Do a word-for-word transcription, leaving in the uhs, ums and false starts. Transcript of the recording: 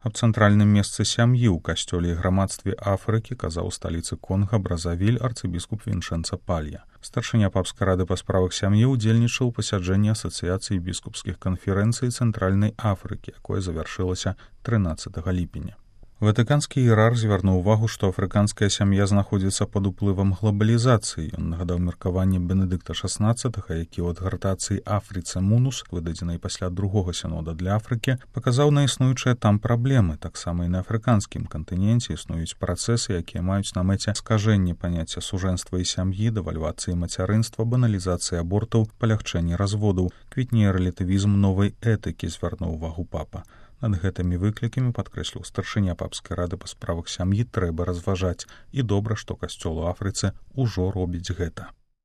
Аб цэнтральным месцы сям'і ў касцёле і грамадстве Афрыкі казаў у сталіцы Конга Бразавіль арцыбіскуп Віншэнца Палья. Старшыня папскай рады па справах сям'і ўдзельнічаў у пасяджэнні асацыяцыі біскупскіх канферэнцый Цэнтральнай Афрыкі, якое завяршылася трынаццатага ліпеня. Ватыканскі іерарх звярнуў увагу, што афрыканская сям'я знаходзіцца пад уплывам глабалізацыі. Ён нагадаў меркаванне Бенедыкта шаснаццатага, які ў адгартацыі «Афрыце Мунус», выдадзенай пасля другога сінода для Афрыкі, паказаў на існуючыя там праблемы. Таксама і на афрыканскім кантыненце існуюць працэсы, якія маюць на мэце скажэнне паняцця сужэнства і сям'і, дэвальвацыі мацярынства, баналізацыі абортаў, палягчэнне разводаў, квітнее рэлятывізм новай этыкі, звярнуў увагу папа. Над гэтымі выклікамі, падкрэсліў старшыня папскай рады па справах сям'і, трэба разважаць. І добра, што касцёл у Афрыцы ўжо робіць гэта.